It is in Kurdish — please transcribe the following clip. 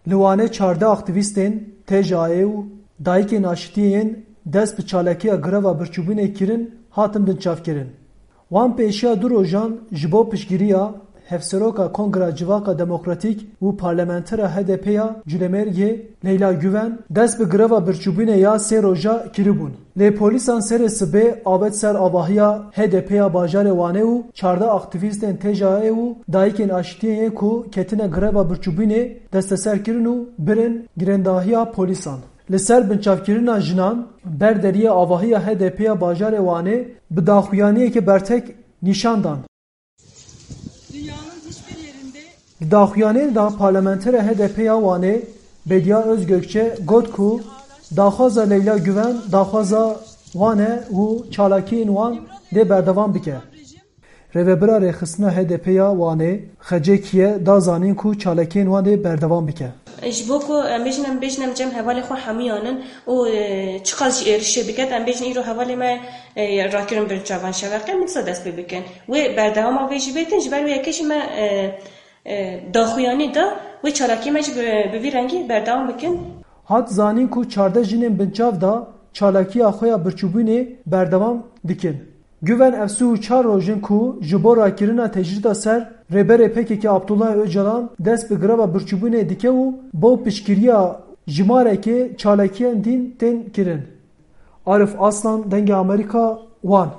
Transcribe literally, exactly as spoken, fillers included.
Li Wanê çardeh aktîvîstên T J A û dayikên aşitiyê yên dest bi çalakiya greva birçîbûnê kirin hatin binçavkirin. Wan pêşiya du rojan ji bo piştgiriya Hevseroka Kongra Civaka Demokratîk û Parlamentera H D P ya Culemêrgê Leyla Guven dest bi greva birçîbûnê ya sê roja kiribûn. Lê polîsan serê sibê avêt ser avahiya H D P ya bajarê Wanê û çardeh aktîvîstên T J A û dayikên aşitiyên yê ku ketine greva birçîbûnê desteser kirin û birin girendahiya polîsan. Li ser binçavkirina jinan ber deriyê avahiya H D P ya bajarê Wanê bi daxuyaniyeke bertek nîşan dan. Di daxuyaniyê de parlamentera H D P ya Wanê Bediye Özgökçe got ku daxwaza Leyla Guven daxwaza wan e û çalakiyên wan dê berdewam bike. Rêvebira Rêxistina H D P ya Wanê Xecê Kiye da zanîn ku çalakiyên wan dê berdewam bike. Ji bo ku em bêjin, em bêjin em cem hevalê xwe hemiyan in û, e, çiqas jî êrişê biket, em bêjin îro hevalê me, e, rakirin bin çavan şeveqê, min disa dest pê bikin. Wê berdewama vê jî bêtin, ji ber wê yekê jî me, e, e, daxuyanî da, wê çalakî me jî bi, bi vî rengî berdewam bikin. Hat zanîn ku çardeh jinên binçav da çalakiya xwe ya birçîbûnê berdewam dikin. Guven ev sî û çar roj in ku ji bo rakirina tecrîda ser Rêberê P K K Abdullah Ocalan dest bi greva birçîbûnê dike û bo piştgiriya jimarekê çalakiyan din tên kirin. Arif Aslan, Dengê Amerîka, Wan.